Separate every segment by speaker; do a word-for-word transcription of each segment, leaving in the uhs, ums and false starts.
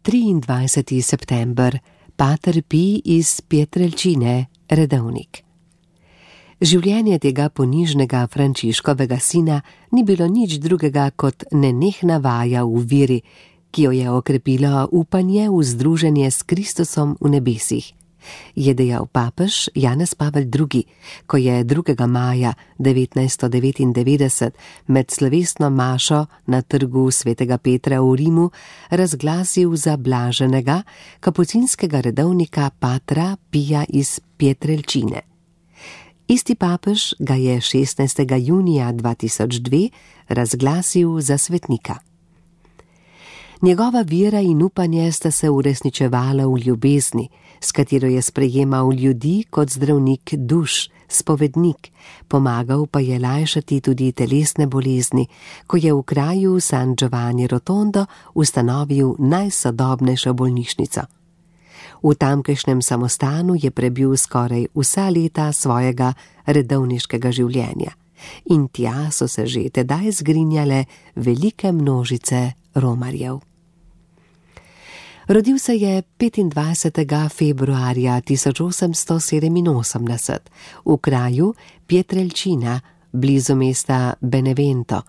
Speaker 1: triindvajseti september, pater Pij iz Pietrelcine, redovnik. Življenje tega ponižnega Frančiškovega sina ni bilo nič drugega kot nenehna vaja v veri, ki jo je okrepilo upanje v združenje s Kristusom v nebesih, je dejal papež Janez Pavel drugi, ko je drugega maja devetnajststo devetindevetdeset med slovesno mašo na trgu svetega Petra v Rimu razglasil za blaženega kapucinskega redovnika patra Pija iz Pietrelcine. Isti papež ga je šestnajstega junija dva tisoč dve razglasil za svetnika. Njegova vera in upanje sta se uresničevala v ljubezni, s katero je sprejemal ljudi kot zdravnik duš, spovednik, pomagal pa je lajšati tudi telesne bolezni, ko je v kraju San Giovanni Rotondo ustanovil najsodobnejšo bolnišnico. V tamkajšnjem samostanu je prebil skoraj vsa leta svojega redovniškega življenja in tja so se že tedaj zgrinjale velike množice romarjev. Rodil se je petindvajsetega februarja tisoč osemsto sedeminosemdeset v kraju Pietrelcina, blizu mesta Benevento,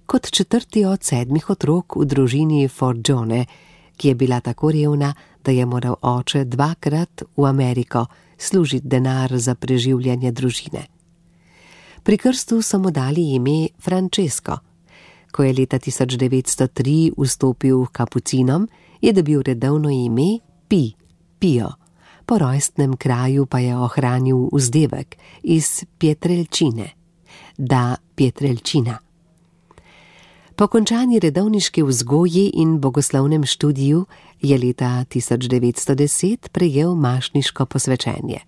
Speaker 1: kot četrti od sedmih otrok v družini Forgione, ki je bila tako revna, da je moral oče dvakrat v Ameriko služiti denar za preživljanje družine. Pri krstu so mu dali ime Francesco. Ko je leta tisoč devetsto tri vstopil k kapucinom, je dobil redovno ime Pij, Pio, po rojstnem kraju pa je ohranil vzdevek iz Pietrelcine, da Pietrelcina. Po končani redovniški vzgoji in bogoslovnem študiju je leta tisoč devetsto deset prejel mašniško posvečenje.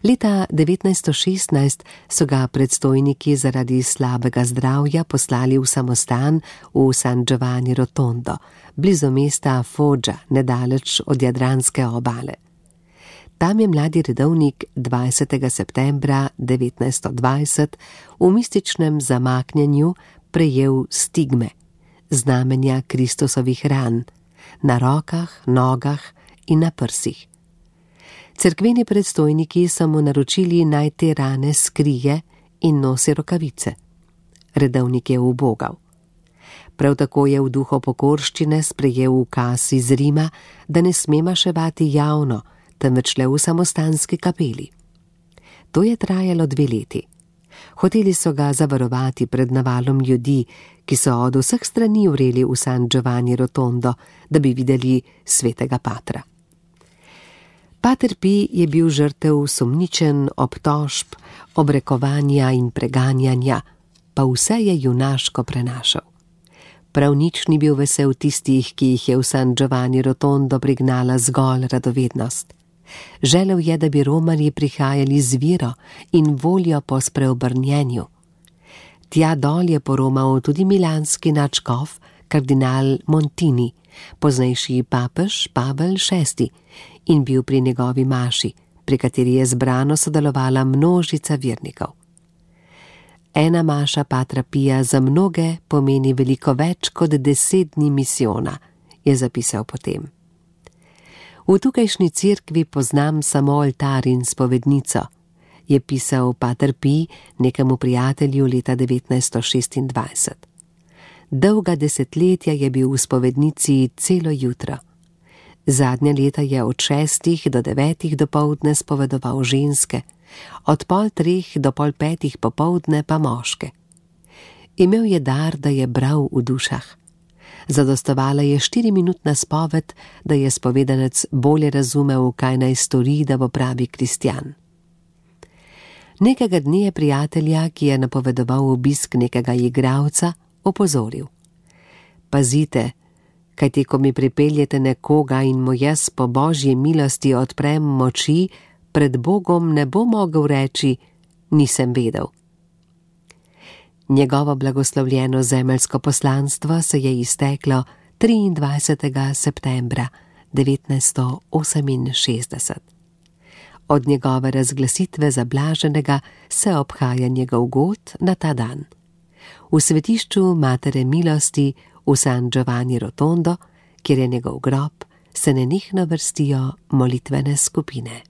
Speaker 1: Leta devetnajststo šestnajst so ga predstojniki zaradi slabega zdravja poslali v samostan v San Giovanni Rotondo, blizu mesta Foggia, nedaleč od jadranske obale. Tam je mladi redovnik dvajsetega septembra devetnajststo dvajset v mističnem zamaknjenju prejel stigme, znamenja Kristusovih ran, na rokah, nogah in na prsih. Cerkveni predstojniki so mu naročili naj te rane skrije in nosi rokavice. Redovnik je ubogal. Prav tako je v duhu pokorščine sprejel ukaz iz Rima, da ne sme maševati javno, temveč le v samostanski kapeli. To je trajalo dve leti. Hoteli so ga zavarovati pred navalom ljudi, ki so od vseh strani vreli v San Giovanni Rotondo, da bi videli svetega patra. Pater Pij je bil žrtev sumničen, obtožb, obrekovanja in preganjanja, pa vse je junaško prenašal. Prav nič ni bil vesel tistih, ki jih je v San Giovanni Rotondo prignala zgolj radovednost. Želel je, da bi romarji prihajali z vero in voljo po spreobrnjenju. Tja dol je poromal tudi milanski nadškof, kardinal Montini, poznejši papež Pavel šesti, in bil pri njegovi maši, pri kateri je zbrano sodelovala množica vernikov. Ena maša patra Pija za mnoge pomeni veliko več kot deset dni misijona, je zapisal potem. V tukajšnji cerkvi poznam samo oltar in spovednico, je pisal pater Pij nekemu prijatelju leta devetnajststo šestindvajset. Dolga desetletja je bil v spovednici celo jutro. Zadnja leta je od šestih do devetih dopoldne spovedoval ženske, od pol treh do pol petih popoldne pa moške. Imel je dar, da je bral v dušah. Zadostovala je štiriminutna spoved, da je spovedanec bolje razumel, kaj naj stori, da bo pravi kristjan. Nekega dne je prijatelja, ki je napovedoval obisk nekega igralca, opozoril. Pazite, kajti ko mi pripeljete nekoga in mu jaz po božji milosti odprem moči, pred Bogom ne bo mogel reči, nisem vedel. Njegovo blagoslovljeno zemeljsko poslanstvo se je izteklo triindvajsetega septembra devetnajststo oseminšestdeset. Od njegove razglasitve za blaženega se obhaja njegov god na ta dan. V svetišču Matere milosti v San Giovanni Rotondo, kjer je njegov grob, se nenehno vrstijo molitvene skupine.